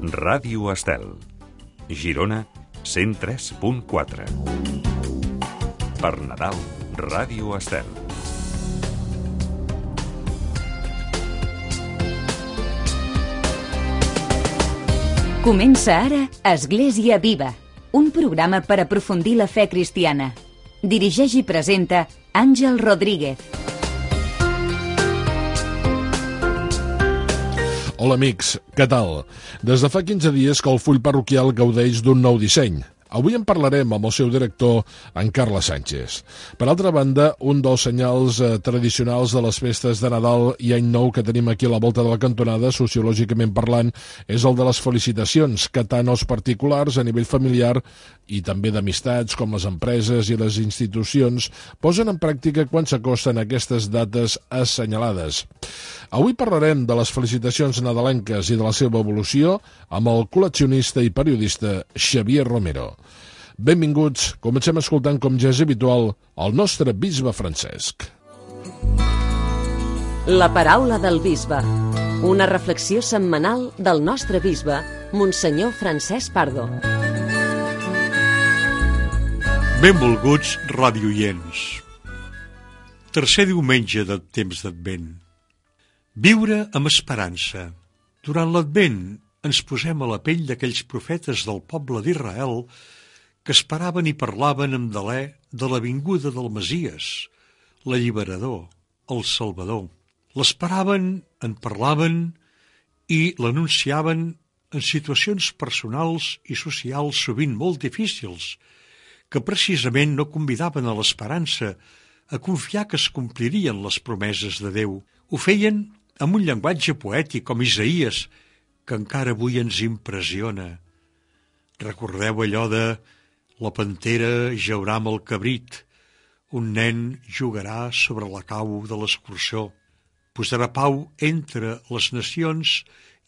Ràdio Estel, Girona 103.4. Per Nadal, Ràdio Estel. Comença ara Església Viva, un programa per aprofundir la fe cristiana. Dirigeix i presenta Àngel Rodríguez. Hola amics, què tal? Des de fa 15 dies que el full parroquial gaudeix d'un nou disseny. Avui en parlarem amb el seu director, en Carles Sánchez. Per altra banda, un dels senyals tradicionals de les festes de Nadal i Any Nou que tenim aquí a la volta de la cantonada, sociològicament parlant, és el de les felicitacions, que tant els particulars a nivell familiar i també d'amistats com les empreses i les institucions posen en pràctica quan s'acosten aquestes dates assenyalades. Avui parlarem de les felicitacions nadalenques i de la seva evolució amb el col·leccionista i periodista Xavier Romero. Benvinguts, comencem escoltant, com ja és habitual, el nostre bisbe Francesc. La paraula del bisbe, una reflexió setmanal del nostre bisbe, Monsenyor Francesc Pardo. Benvolguts radioients. Tercer diumenge del temps d'Advent. Viure amb esperança. Durant l'Advent ens posem a la pell d'aquells profetes del poble d'Israel que esperaven i parlaven amb delè de la vinguda del Messies, l'alliberador, el Salvador. L'esperaven, en parlaven i l'anunciaven en situacions personals i socials sovint molt difícils, que precisament no convidaven a l'esperança, a confiar que es complirien les promeses de Déu. Ho feien amb un llenguatge poètic com Isaïes, que encara avui ens impressiona. Recordeu allò de la pantera jaurà amb el cabrit, un nen jugarà sobre la cau de l'escurçó, posarà pau entre les nacions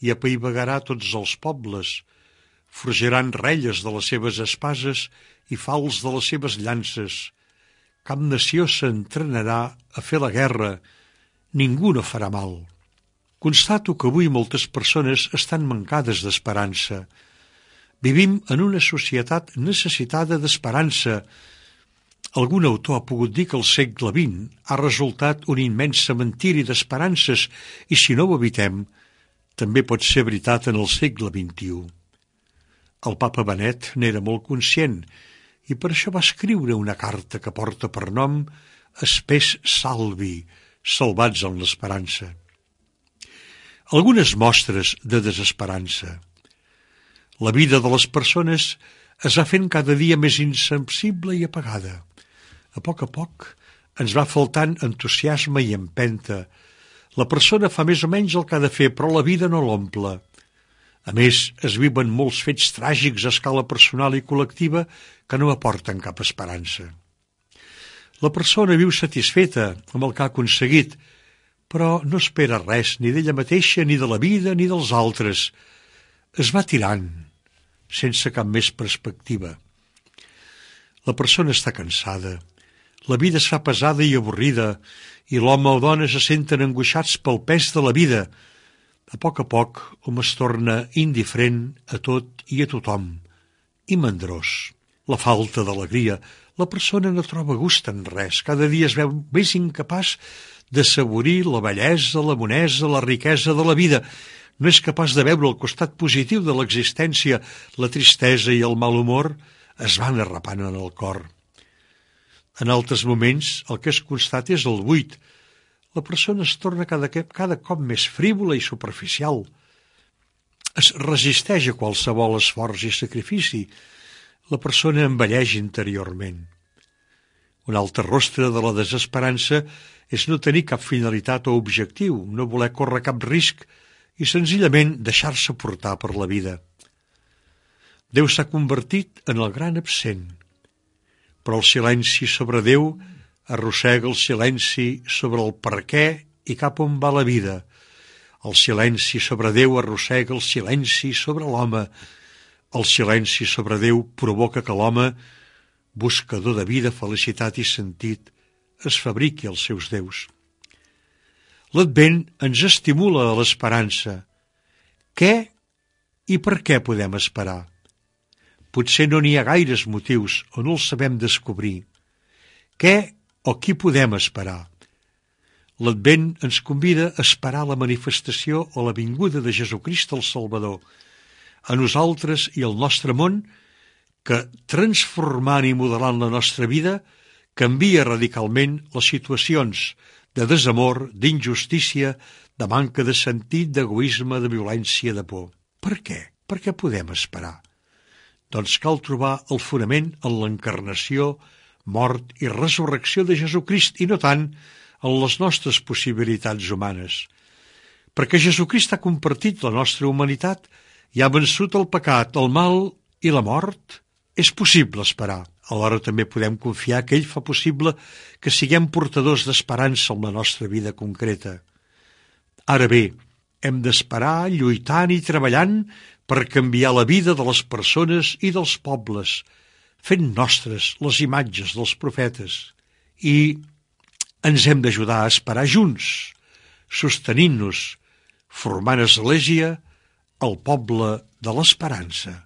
i apaivagarà tots els pobles, forjaran relles de les seves espases i fals de les seves llances. Cap nació s'entrenarà a fer la guerra, ningú no farà mal. Constato que avui moltes persones estan mancades d'esperança. Vivim en una societat necessitada d'esperança. Algun autor ha pogut dir que el segle XX ha resultat un immens cementiri d'esperances i si no ho evitem, també pot ser veritat en el segle XXI. El papa Benet n'era molt conscient i per això va escriure una carta que porta per nom Spes Salvi, salvats en l'esperança. Algunes mostres de desesperança. La vida de les persones es va fent cada dia més insensible i apagada. A poc ens va faltant entusiasme i empenta. La persona fa més o menys el que ha de fer, però la vida no l'omple. A més, es viuen molts fets tràgics a escala personal i col·lectiva que no aporten cap esperança. La persona viu satisfeta amb el que ha aconseguit, però no espera res ni d'ella mateixa, ni de la vida, ni dels altres. Es va tirant, sense cap més perspectiva. La persona està cansada, la vida es fa pesada i avorrida, i l'home o dona se senten angoixats pel pes de la vida. A poc hom es torna indiferent a tot i a tothom, i mandrós. La falta d'alegria, la persona no troba gust en res, cada dia es veu més incapaç d'assaborir la bellesa, la bonesa, la riquesa de la vida. No és capaç de veure el costat positiu de l'existència. La tristesa i el mal humor es van arrapant en el cor. En altres moments, el que es constata és el buit. La persona es torna cada cop més frívola i superficial. Es resisteix a qualsevol esforç i sacrifici. La persona envelleix interiorment. Un altre rostre de la desesperança és no tenir cap finalitat o objectiu, no voler córrer cap risc i senzillament deixar-se portar per la vida. Déu s'ha convertit en el gran absent, però el silenci sobre Déu arrossega el silenci sobre el per què i cap on va la vida. El silenci sobre Déu arrossega el silenci sobre l'home. El silenci sobre Déu provoca que l'home, buscador de vida, felicitat i sentit, es fabriqui els seus déus. L'Advent ens estimula a l'esperança. Què I per què podem esperar? Potser no n'hi ha gaires motius o no els sabem descobrir. Què o qui podem esperar? L'Advent ens convida a esperar la manifestació o la vinguda de Jesucrist el Salvador a nosaltres i al nostre món, que, transformant i modelant la nostra vida, canvia radicalment les situacions de desamor, d'injustícia, de manca de sentit, d'egoisme, de violència, de por. Per què? Per què podem esperar? Doncs cal trobar el fonament en l'encarnació, mort i resurrecció de Jesucrist, i no tant en les nostres possibilitats humanes. Perquè Jesucrist ha compartit la nostra humanitat i ha vençut el pecat, el mal i la mort. És possible esperar. Alhora també podem confiar que ell fa possible que siguem portadors d'esperança en la nostra vida concreta. Ara bé, hem d'esperar lluitant i treballant per canviar la vida de les persones i dels pobles, fent nostres les imatges dels profetes. I ens hem d'ajudar a esperar junts, sostenint-nos, formant església, el poble de l'esperança.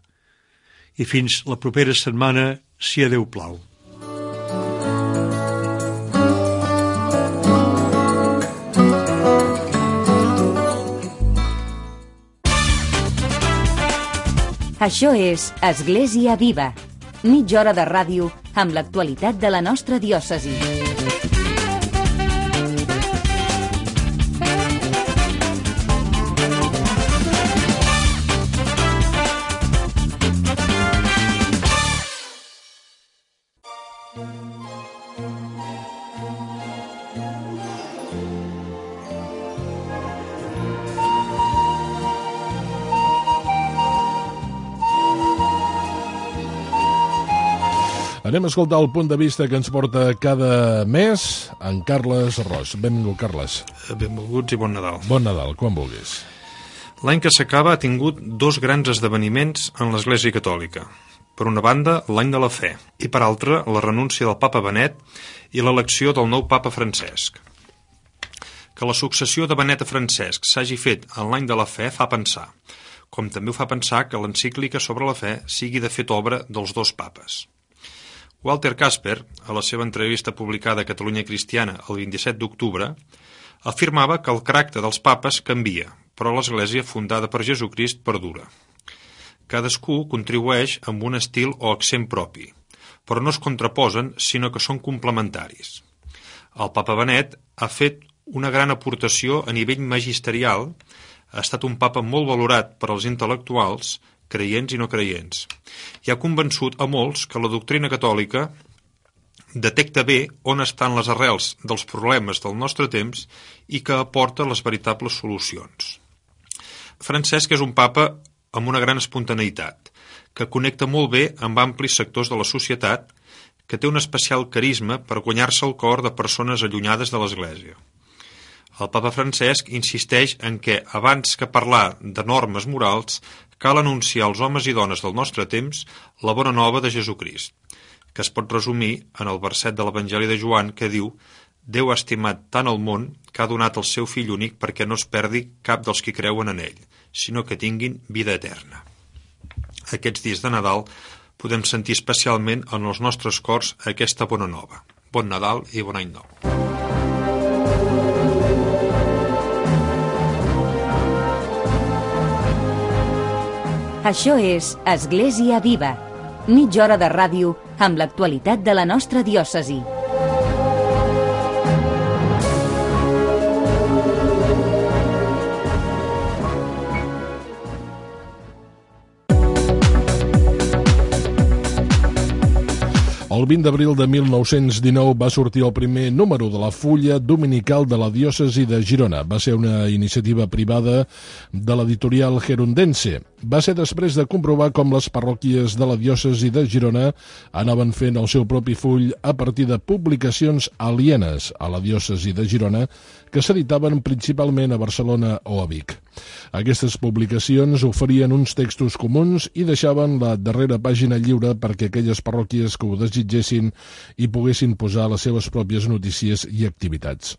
I fins la propera setmana, si a Déu plau. Això és Església Viva, mitja hora de ràdio amb l'actualitat de la nostra diòcesi. Anem a escoltar el punt de vista que ens porta cada mes en Carles Ros. Benvingut, Carles. Benvolguts i bon Nadal. Bon Nadal, quan vulguis. L'any que s'acaba ha tingut dos grans esdeveniments en l'Església Catòlica. Per una banda, l'any de la fe, i per altra, la renúncia del papa Benet i l'elecció del nou papa Francesc. Que la successió de Benet a Francesc s'hagi fet en l'any de la fe fa pensar, com també ho fa pensar que l'encíclica sobre la fe sigui de fet obra dels dos papes. Walter Kasper, a la seva entrevista publicada a Catalunya Cristiana el 27 d'octubre, afirmava que el caràcter dels papes canvia, però l'Església fundada per Jesucrist perdura. Cadascú contribueix amb un estil o accent propi, però no es contraposen, sinó que són complementaris. El papa Benet ha fet una gran aportació a nivell magisterial, ha estat un papa molt valorat per als intel·lectuals, creients i no creients, i ha convençut a molts que la doctrina catòlica detecta bé on estan les arrels dels problemes del nostre temps i que aporta les veritables solucions. Francesc és un papa amb una gran espontaneïtat, que connecta molt bé amb amplis sectors de la societat, que té un especial carisma per guanyar-se el cor de persones allunyades de l'Església. El papa Francesc insisteix en què, abans que parlar de normes morals, cal anunciar als homes i dones del nostre temps la bona nova de Jesucrist, que es pot resumir en el verset de l'Evangeli de Joan que diu: Déu ha estimat tant el món que ha donat el seu fill únic perquè no es perdi cap dels qui creuen en ell, sinó que tinguin vida eterna. Aquests dies de Nadal podem sentir especialment en els nostres cors aquesta bona nova. Bon Nadal i bon any nou. Això és Església Viva, mitja hora de ràdio amb l'actualitat de la nostra diòcesi. El 20 d'abril de 1919 va sortir el primer número de la Fulla Dominical de la diòcesi de Girona. Va ser una iniciativa privada de l'editorial Gerundense. Va ser després de comprovar com les parròquies de la diòcesi de Girona anaven fent el seu propi full a partir de publicacions alienes a la diòcesi de Girona que s'editaven principalment a Barcelona o a Vic. Aquestes publicacions oferien uns textos comuns i deixaven la darrera pàgina lliure perquè aquelles parròquies que ho desitgessin hi poguessin posar les seves pròpies notícies i activitats.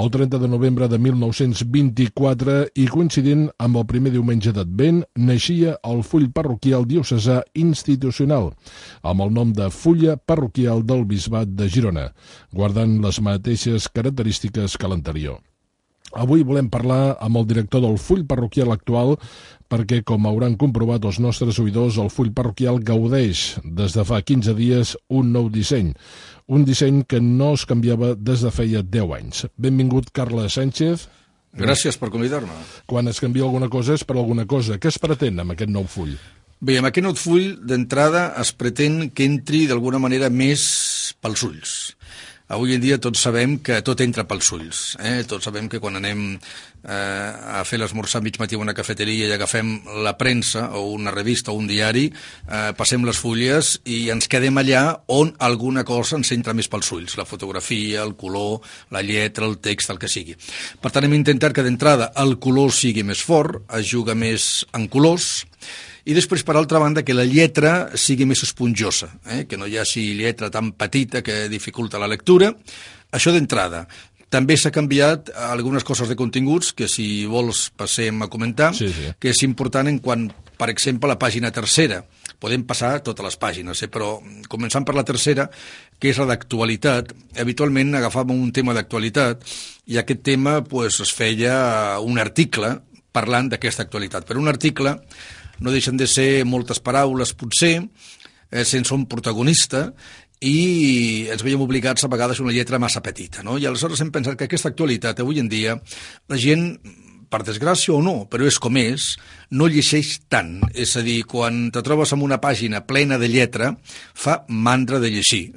El 30 de novembre de 1924, i coincidint amb el primer diumenge d'Advent, neix naixia el full parroquial diocesà institucional, amb el nom de Fulla Parroquial del Bisbat de Girona, guardant les mateixes característiques que l'anterior. Avui volem parlar amb el director del full parroquial actual perquè, com hauran comprovat els nostres oïdors, el full parroquial gaudeix des de fa 15 dies un nou disseny. Un disseny que no es canviava des de feia 10 anys. Benvingut, Carles Sánchez. Gràcies per convidar-me. Quan es canvia alguna cosa és per alguna cosa. Què es pretén amb aquest nou full? Bé, amb aquest nou full, d'entrada, es pretén que entri d'alguna manera més pels ulls. Avui en dia tots sabem que tot entra pels ulls. Tots sabem que quan anem a fer l'esmorzar mig matí a una cafeteria i agafem la premsa o una revista o un diari, passem les fulles i ens quedem allà on alguna cosa ens entra més pels ulls. La fotografia, el color, la lletra, el text, el que sigui. Per tant, hem intentat que d'entrada el color sigui més fort, es juga més en colors, i després, per altra banda, que la lletra sigui més esponjosa, que no hi hagi lletra tan petita que dificulta la lectura. Això d'entrada. També s'ha canviat algunes coses de continguts que, si vols, passem a comentar, sí. Que és important en quan, per exemple, la pàgina tercera. Podem passar totes les pàgines, però començant per la tercera, que és la d'actualitat. Habitualment agafàvem un tema d'actualitat i aquest tema es feia un article parlant d'aquesta actualitat. Però un article no deixen de ser moltes paraules, potser, sense un protagonista, i ens veiem obligats a vegades a una lletra massa petita, no? I aleshores hem pensat que aquesta actualitat, avui en dia, la gent, per desgràcia o no, però és com és, no llegeix tant. És a dir, quan te trobes en una pàgina plena de lletra, fa mandra de llegir.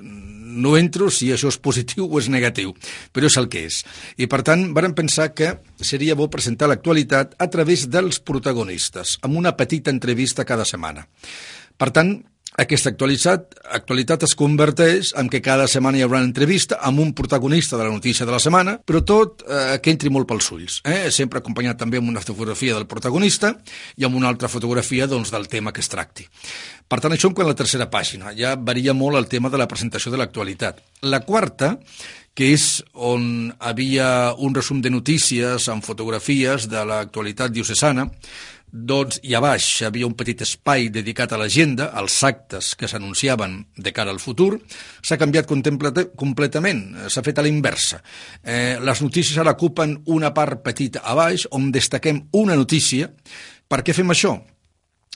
No entro si això és positiu o és negatiu, però és el que és. I, per tant, vàrem pensar que seria bo presentar l'actualitat a través dels protagonistes, amb una petita entrevista cada setmana. Per tant, aquesta actualitat es converteix en que cada setmana hi haurà una entrevista amb un protagonista de la notícia de la setmana, però tot que entri molt pels ulls. Sempre acompanyat també amb una fotografia del protagonista i amb una altra fotografia del tema que es tracti. Per tant, això en quant a la tercera pàgina. Ja varia molt el tema de la presentació de l'actualitat. La quarta, que és on havia un resum de notícies amb fotografies de l'actualitat diocesana, i a baix hi havia un petit espai dedicat a l'agenda, als actes que s'anunciaven de cara al futur. S'ha canviat completament, s'ha fet a la inversa. Les notícies ara ocupen una part petita a baix, on destaquem una notícia. Per què fem això?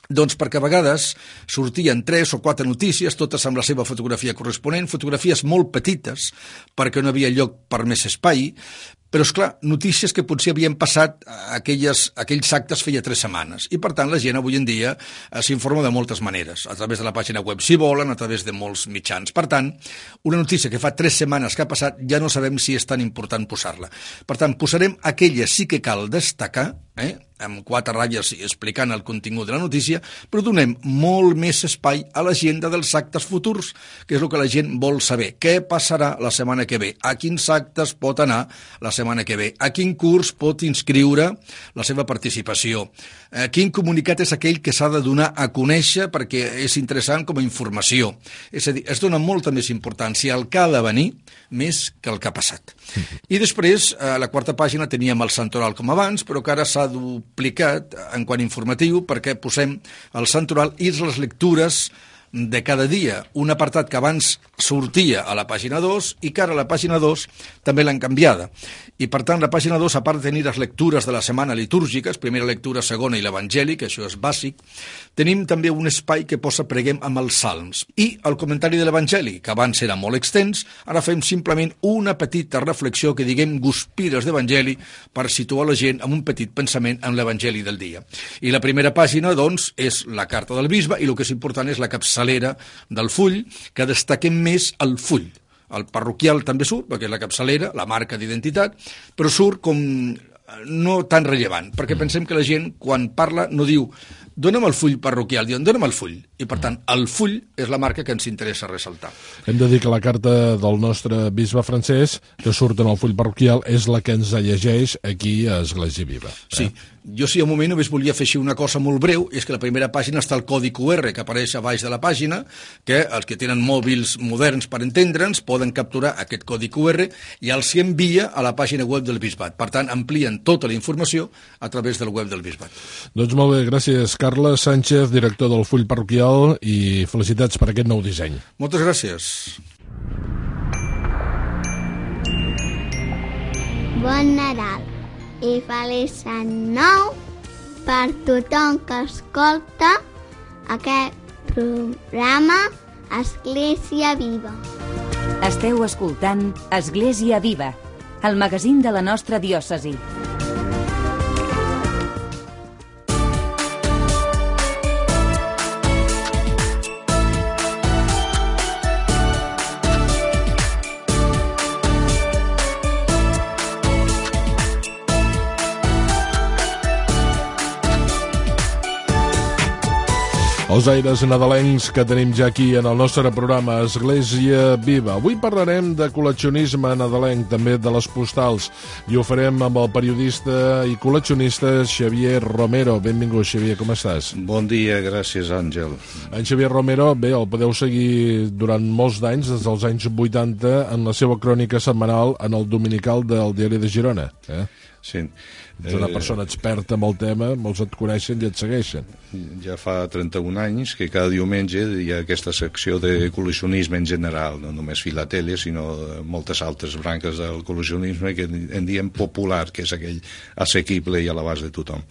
Doncs perquè a vegades sortien 3 o 4 notícies, totes amb la seva fotografia corresponent, fotografies molt petites, perquè no havia lloc per més espai, però, esclar, notícies que potser havien passat aquells actes feia 3 setmanes. I, per tant, la gent avui en dia s'informa de moltes maneres, a través de la pàgina web, si volen, a través de molts mitjans. Per tant, una notícia que fa 3 setmanes que ha passat, ja no sabem si és tan important posar-la. Per tant, posarem aquella sí que cal destacar, amb 4 ratlles explicant el contingut de la notícia, però donem molt més espai a l'agenda dels actes futurs, que és el que la gent vol saber. Què passarà la setmana que ve? A quins actes pot anar la setmana que ve? A quin curs pot inscriure la seva participació? Quin comunicat és aquell que s'ha de donar a conèixer perquè és interessant com a informació? És a dir, es dona molta més importància al que ha de venir més que el que ha passat. I després, a la quarta pàgina teníem el santoral com abans, però que ara s'ha duplicat en quant informatiu perquè posem el santoral i les lectures de cada dia, un apartat que abans sortia a la pàgina 2 i que ara a la pàgina 2 també l'han canviada. I per tant la pàgina 2, a part de tenir les lectures de la setmana litúrgiques, primera lectura, segona i l'Evangeli, que això és bàsic, tenim també un espai que posa preguem amb els salms. I el comentari de l'Evangeli, que abans era molt extens, ara fem simplement una petita reflexió que diguem guspires d'Evangeli per situar la gent amb un petit pensament en l'Evangeli del dia. I la primera pàgina, doncs, és la carta del bisbe i el que és important és la capçalera del full, que destaquem més el full. El parroquial també surt, perquè és la capçalera, la marca d'identitat, però surt com no tan rellevant, perquè pensem que la gent, quan parla, no diu dona'm el full parroquial, diuen dona'm el full. I, per tant, el full és la marca que ens interessa ressaltar. Hem de dir que la carta del nostre bisbe francès, que surt en el full parroquial, és la que ens llegeix aquí a Església Viva. Sí, Jo sí, un moment només volia afegir una cosa molt breu, és que a la primera pàgina està el codi QR que apareix a baix de la pàgina, que els que tenen mòbils moderns per entendre'ns poden capturar aquest codi QR i els envia a la pàgina web del Bisbat. Per tant, amplien tota la informació a través del web del Bisbat. Doncs molt bé, gràcies Carles Sánchez, director del Full Parroquial, i felicitats per aquest nou disseny. Moltes gràcies. Bon Nadal i feliç any nou per tothom que escolta aquest programa Església Viva. Esteu escoltant Església Viva, el magazín de la nostra diòcesi. Els aires nadalencs que tenim ja aquí en el nostre programa Església Viva. Avui parlarem de col·leccionisme nadalenc, també de les postals, i ho farem amb el periodista i col·leccionista Xavier Romero. Benvingut, Xavier, com estàs? Bon dia, gràcies, Àngel. En Xavier Romero, bé, el podeu seguir durant molts d'anys, des dels anys 80, en la seva crònica setmanal en el dominical del Diari de Girona. Sí. Ets una persona experta en el tema, molts et coneixen i et segueixen. Ja fa 31 anys que cada diumenge hi ha aquesta secció de col·leccionisme en general, no només filatèlia, sinó moltes altres branques del col·leccionisme que en diem popular, que és aquell assequible i a l'abast de tothom.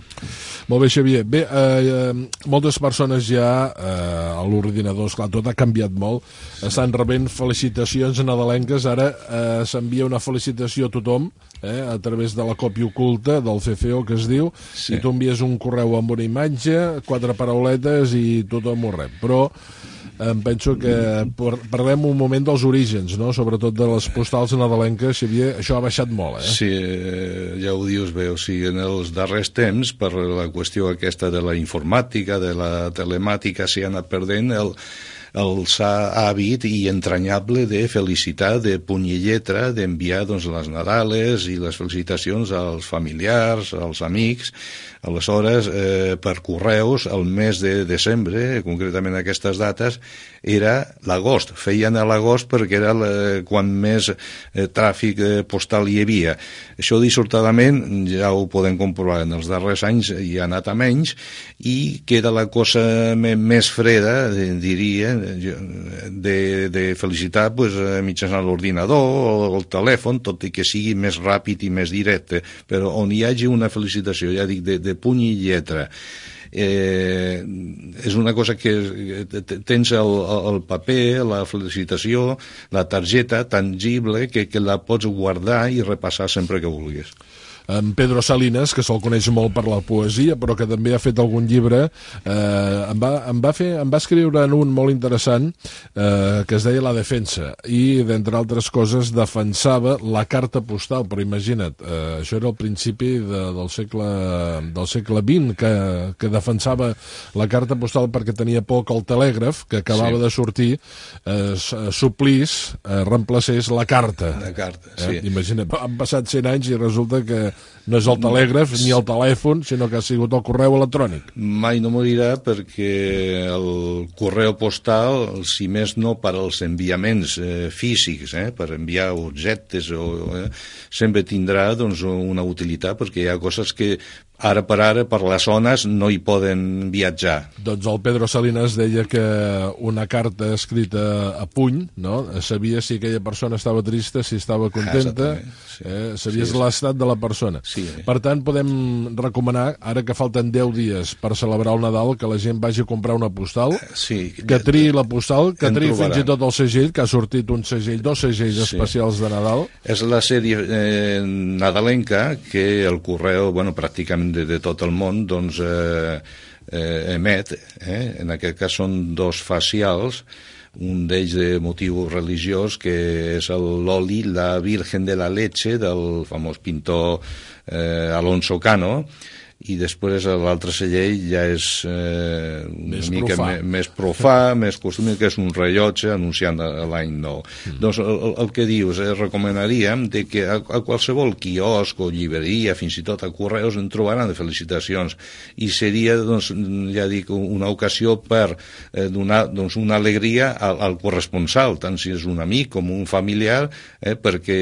Molt bé, Xavier. Bé, moltes persones ja a l'ordinador, esclar, tot ha canviat molt, estan rebent felicitacions nadalenques. Ara s'envia una felicitació a tothom a través de la còpia oculta del CFO, que es diu, sí. I tu envies un correu amb una imatge, 4 parauletes i tothom ho rep. Però em penso que parlem un moment dels orígens, no? Sobretot de les postals nadalenques, Xavier, això ha baixat molt, Sí, ja ho dius bé, o sigui, en els darrers temps, per la qüestió aquesta de la informàtica, de la telemàtica, s'hi ha anat perdent el hàbit i entranyable de felicitar de puny i lletra, d'enviar doncs, les Nadales i les felicitacions als familiars, als amics. Aleshores, per correus, el mes de desembre, concretament aquestes dates, era l'agost. Feien a l'agost perquè era quan més tràfic postal hi havia. Això dissortadament, ja ho podem comprovar, en els darrers anys hi ha anat a menys i queda la cosa més freda, diria, de felicitar mitjançant l'ordinador o el telèfon, tot i que sigui més ràpid i més directe, però on hi hagi una felicitació, ja dic, de puny i lletra, és una cosa que tens el paper, la felicitació, la targeta tangible que la pots guardar i repassar sempre que vulguis. En Pedro Salinas, que se'l coneix molt per la poesia, però que també ha fet algun llibre, em va escriure en un molt interessant que es deia La Defensa, i d'entre altres coses defensava la carta postal. Però imagina't, això era al principi del segle XX, que defensava la carta postal perquè tenia por que el telègraf, que acabava de sortir, suplís, reemplacés la carta. La carta, sí. Imagina't, han passat 100 anys i resulta que no és el telègraf ni el telèfon, sinó que ha sigut el correu electrònic. Mai no morirà perquè el correu postal, si més no per als enviaments físics, per enviar objectes, sempre tindrà doncs, una utilitat, perquè hi ha coses que ara per ara, per les zones, no hi poden viatjar. Doncs el Pedro Salinas deia que una carta escrita a puny, no? Sabia si aquella persona estava trista, si estava contenta, sabies l'estat de la persona. Sí. Per tant, podem recomanar, ara que falten 10 dies per celebrar el Nadal, que la gent vagi a comprar una postal, que triï la postal, que triï fins i tot el segell, que ha sortit un segell, 2 segells especials de Nadal. És la sèrie nadalenca que el correu, pràcticament de tot el món, doncs emet, en aquest cas són 2 facials, un d'ells de motiu religiós, que és l'oli La Virgen de la Leche, del famós pintor Alonso Cano, i després l'altre celler ja és una mica més profà, més costumi, que és un rellotge anunciant l'any nou. Doncs el que dius, recomanaríem de que a qualsevol quiosc o llibreria, fins i tot a correus, en trobaran de felicitacions, i seria, doncs, ja dic, una ocasió per donar, doncs, una alegria al corresponsal, tant si és un amic com un familiar, perquè,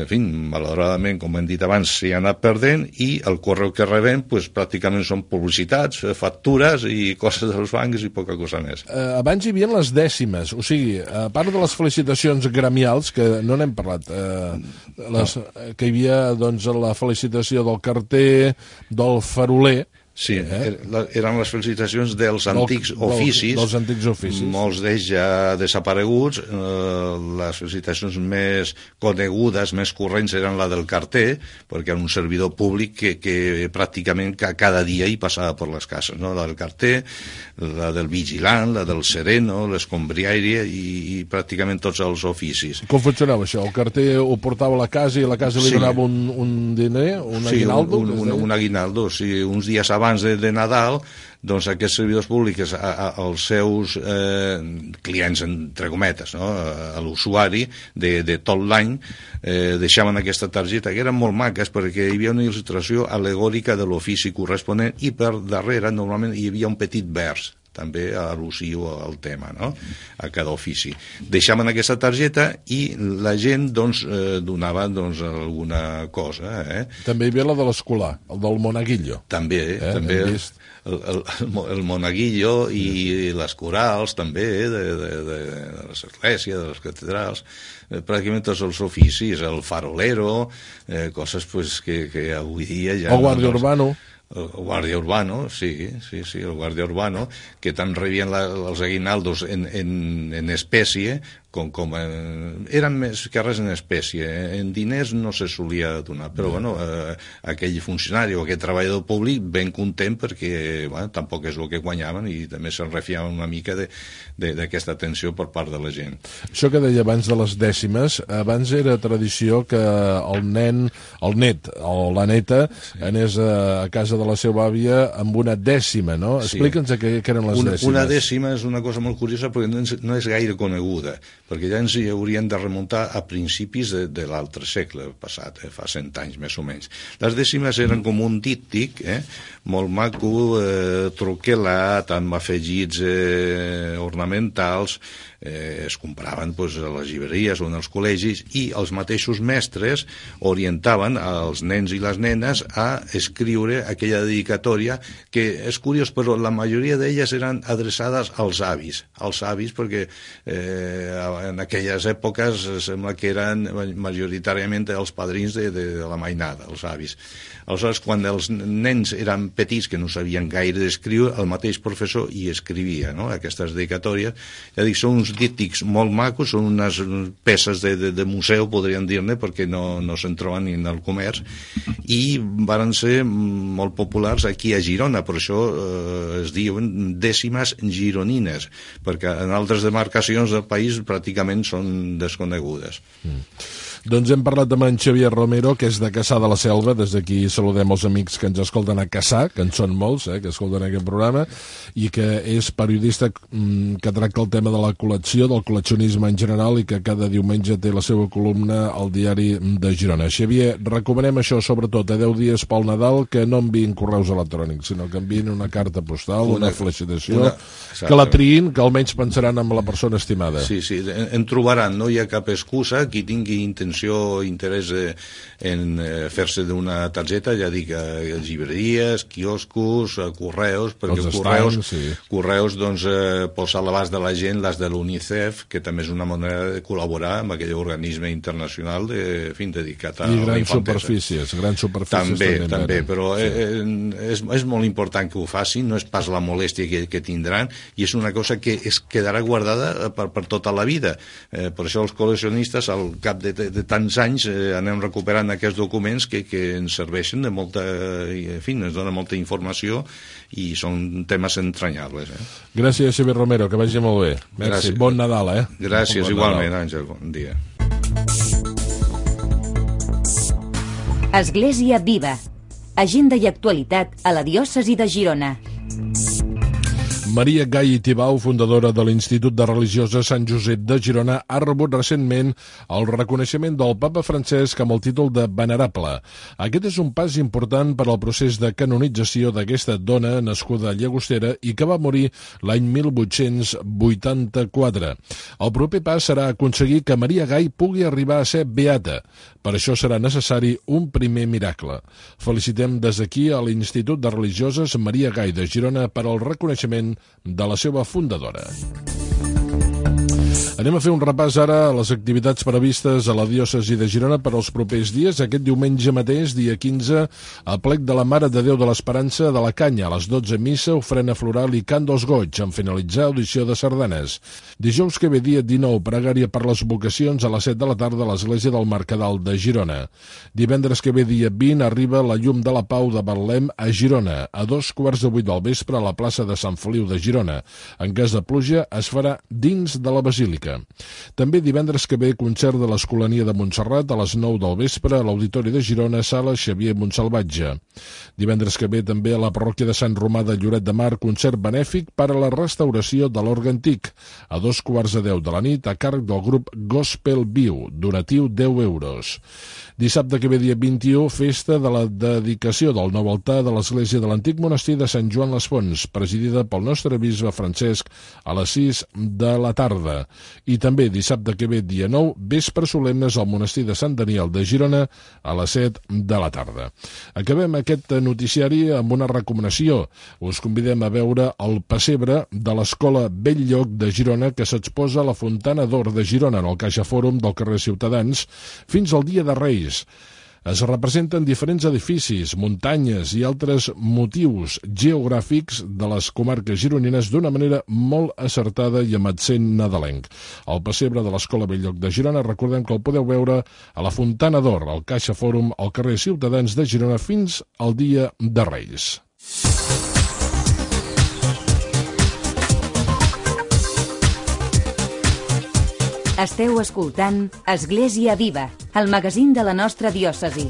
en fi, malauradament, com hem dit abans, s'hi ha anat perdent, i el correu que rebem, pues, pràcticament són publicitats, factures i coses dels bancs i poca cosa més. Abans hi havia les dècimes, o sigui, a part de les felicitacions gremials, que no n'hem parlat, que hi havia, doncs, la felicitació del carter, del faroler. Sí, eren les felicitacions dels antics oficis, dels antics oficis. Molts d'ells ja desapareguts. Les felicitacions més conegudes, més corrents, eren la del carter, perquè era un servidor públic que pràcticament cada dia hi passava per les cases, no? La del carter, la del vigilant, la del sereno, l'escombriaire i pràcticament tots els oficis. Com funcionava això? El carter ho portava a la casa i a la casa li donava un diner, un aguinaldo? Sí, un aguinaldo, sí, uns dies abans de Nadal, doncs aquests servidors públics als seus clients, entre cometes, no? A l'usuari de tot l'any, deixaven aquesta targeta, que eren molt maques perquè hi havia una il·lustració alegòrica de l'ofici corresponent i per darrere normalment hi havia un petit vers també al·lusiu al tema, no? A cada ofici. Deixaven aquesta targeta i la gent, doncs, donava, doncs, alguna cosa. També hi havia la de l'escolar, el del monaguillo. També, també el monaguillo i les corals, també, de les esglésies, de les catedrals, pràcticament tots els oficis, el farolero, coses pues, que avui dia ja... El guàrdia urbano. El guàrdia urbano, sí, el guàrdia urbano, que tant rebien els aguinaldos en espècie, com eren més que res en espècie. En diners no se solia donar, però bueno, aquell funcionari o aquell treballador públic ben content perquè tampoc és el que guanyaven i també se'n refiaven una mica d'aquesta atenció per part de la gent. Això que deia abans de les dècimes, abans era tradició que el net o la neta anés a casa de la seva àvia amb una dècima, no? Explica'ns què eren les dècimes. Una dècima és una cosa molt curiosa perquè no és gaire coneguda, perquè ja ens hi haurien de remuntar a principis de l'altre segle passat, fa 100 anys més o menys. Les dècimes eren com un díptic, molt maco, troquelat, amb afegits ornamentals, es compraven a les llibreries o en els col·legis i els mateixos mestres orientaven els nens i les nenes a escriure aquella dedicatòria que és curiós, però la majoria d'elles eren adreçades als avis perquè en aquelles èpoques sembla que eren majoritàriament els padrins de la mainada, els avis. Aleshores, quan els nens eren petits que no sabien gaire d'escriure, el mateix professor hi escrivia, no? Aquestes dedicatòries. Ja dic, són uns díptics molt macos, són unes peces de museu, podríem dir-ne, perquè no se'n troben ni en el comerç, i varen ser molt populars aquí a Girona, per això es diuen dècimes gironines, perquè en altres demarcacions del país pràcticament són desconegudes. Doncs hem parlat amb en Xavier Romero, que és de Cassà de la Selva. Des d'aquí saludem els amics que ens escolten a Cassà, que en són molts, que escolten aquest programa, i que és periodista que tracta el tema de la col·lecció, del col·leccionisme en general, i que cada diumenge té la seva columna al diari de Girona. Xavier, recomanem això, sobretot a 10 dies pel Nadal, que no enviïn correus electrònics, sinó que enviïn una carta postal, una felicitació, que la triïn, que almenys pensaran en la persona estimada. Sí, en trobaran, no hi ha cap excusa, qui tingui intenció o interès en fer-se d'una targeta, ja dic, a llibreries, quioscos, correus, perquè correus doncs, posa a l'abast de la gent les de l'UNICEF, que també és una manera de col·laborar amb aquell organisme internacional dedicat a la infantesa. Grans superfícies també, però és molt important que ho facin, no és pas la molèstia que tindran, i és una cosa que es quedarà guardada per tota la vida. Per això els col·leccionistes, al cap de tants anys, anem recuperant aquests documents que ens serveixen de molta, en fi, ens dona molta informació i són temes entranyables. Gràcies, Xavier Romero, que vagi molt bé. Merci. Bon Nadal, Gràcies, igualment, Àngel, bon dia. Església Viva, agenda i actualitat a la diòcesi de Girona. Maria Gai i Tibau, fundadora de l'Institut de Religioses Sant Josep de Girona, ha rebut recentment el reconeixement del papa Francesc amb el títol de Venerable. Aquest és un pas important per al procés de canonització d'aquesta dona nascuda a Llagostera i que va morir l'any 1884. El proper pas serà aconseguir que Maria Gai pugui arribar a ser beata. Per això serà necessari un primer miracle. Felicitem des d'aquí a l'Institut de Religioses Maria Gai de Girona per al reconeixement de la seva fundadora. Anem a fer un repàs ara a les activitats previstes a la diòcesi de Girona per als propers dies. Aquest diumenge mateix, dia 15, a plec de la Mare de Déu de l'Esperança de la Canya, a les 12 missa, ofrena floral i cant dels goig, en finalitzar audició de sardanes. Dijous que ve, dia 19, pregària per les vocacions a les 7 de la tarda a l'església del Mercadal de Girona. Divendres que ve, dia 20, arriba la llum de la Pau de Betlem a Girona, a 2:15 del vespre a la plaça de Sant Feliu de Girona. En cas de pluja, es farà dins de la basílica. També divendres que ve, concert de l'Escolania de Montserrat a les 9 del vespre a l'Auditori de Girona, sala Xavier Montsalvatge. Divendres que ve també a la parròquia de Sant Romà de Lloret de Mar, concert benèfic per a la restauració de l'orgue antic, a 2:10 de la nit, a càrrec del grup Gospel Viu, donatiu 10 euros. Dissabte que ve, dia 21, festa de la dedicació del nou altar de l'església de l'antic monestir de Sant Joan les Fonts, presidida pel nostre bisbe Francesc, a les 6 de la tarda. I també dissabte que ve, dia 9, vespre solemnes al monestir de Sant Daniel de Girona a les 7 de la tarda. Acabem aquest noticiari amb una recomanació. Us convidem a veure el pessebre de l'Escola Belllloc de Girona que s'exposa a la Fontana d'Or de Girona en el Caixa Fòrum del carrer Ciutadans fins al dia de Reis. Es representen diferents edificis, muntanyes i altres motius geogràfics de les comarques gironines d'una manera molt acertada i amb accent nadalenc. El pessebre de l'Escola Belllloc de Girona, recordem que el podeu veure a la Fontana d'Or, al Caixa Fòrum, al carrer Ciutadans de Girona, fins al dia de Reis. Esteu escoltant Església Viva, el magazín de la nostra diòcesi.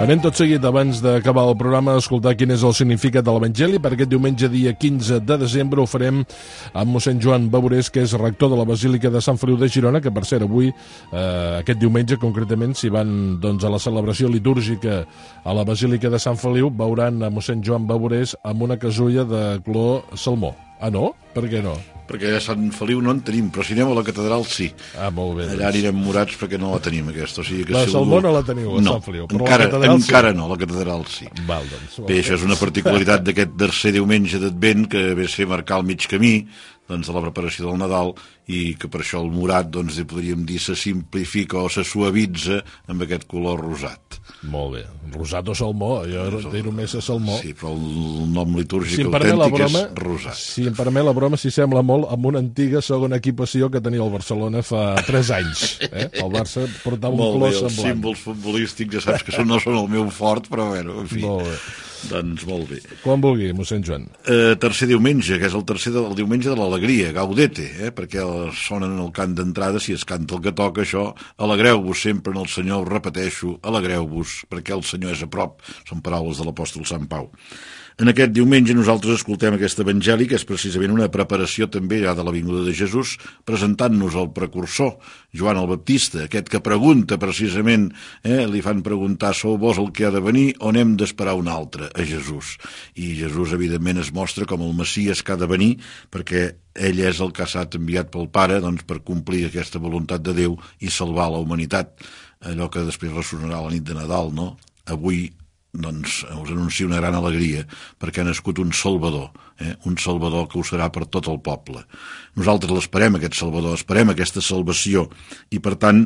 Anem tot seguit, abans d'acabar el programa, a escoltar quin és el significat de l'Evangeli. Per aquest diumenge, dia 15 de desembre, ho farem amb mossèn Joan Baborés, que és rector de la Basílica de Sant Feliu de Girona, que per cert avui, aquest diumenge concretament, si van a la celebració litúrgica a la Basílica de Sant Feliu, veuran a mossèn Joan Baborés amb una casulla de color salmó. Ah, no? Per què no? Perquè a Sant Feliu no en tenim, però si anem a la catedral sí. Ah, molt bé. Allà anirem morats perquè no la tenim, aquesta. O sigui que la salmó no la teniu a Sant Feliu, però encara, la catedral sí. Encara no, la catedral sí. Val, doncs. Bé, això és una particularitat d'aquest tercer diumenge d'Advent, que ve a ser marcar el mig camí de la preparació del Nadal, i que per això el morat, podríem dir, se simplifica o se suavitza amb aquest color rosat. Molt bé. Rosat o salmó, jo diré més a salmó. Sí, però el nom litúrgic autèntic és rosat. Si em permet la broma, si sembla molt amb una antiga segona equipació que tenia el Barcelona fa 3 anys. El Barça portava un color semblant. Els símbols futbolístics ja saps que no són el meu fort, però bueno, en fi. Molt bé. Doncs molt bé. Quan vulgui, mossèn Joan. Tercer diumenge, que és el tercer del diumenge de l'alegria, gaudete, perquè sonen el cant d'entrada, si es canta el que toca, això, alegreu-vos sempre en el Senyor, ho repeteixo, alegreu-vos, perquè el Senyor és a prop, són paraules de l'apòstol Sant Pau. En aquest diumenge nosaltres escoltem aquest evangeli, que és precisament una preparació també ja de la vinguda de Jesús, presentant-nos el precursor, Joan el Baptista, aquest que pregunta precisament, li fan preguntar, sou vos el que ha de venir o n'hem d'esperar un altre, a Jesús? I Jesús evidentment es mostra com el Messies que ha de venir, perquè ell és el que ha estat enviat pel Pare per complir aquesta voluntat de Déu i salvar la humanitat, allò que després ressonarà la nit de Nadal, no? Avui us anuncio una gran alegria perquè ha nascut un Salvador que ho serà per tot el poble. Nosaltres l'esperem, aquest Salvador, esperem aquesta salvació, i per tant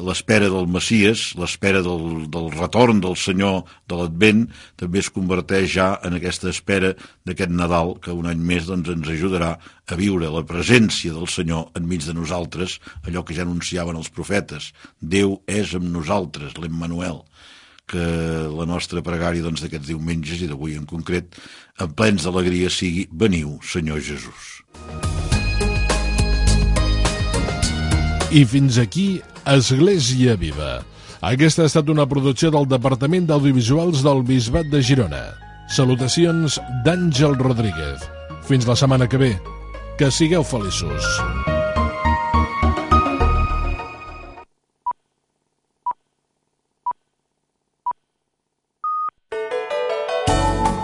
l'espera del Messies, l'espera del retorn del Senyor de l'Advent, també es converteix ja en aquesta espera d'aquest Nadal que un any més ens ajudarà a viure la presència del Senyor enmig de nosaltres, allò que ja anunciaven els profetes: Déu és amb nosaltres, l'Emmanuel, que la nostra pregària d'aquests diumenges i d'avui en concret, en plens d'alegria, sigui: veniu, Senyor Jesús. I fins aquí Església Viva. Aquesta ha estat una producció del Departament d'Audiovisuals del Bisbat de Girona. Salutacions d'Àngel Rodríguez. Fins la setmana que ve. Que sigueu feliços.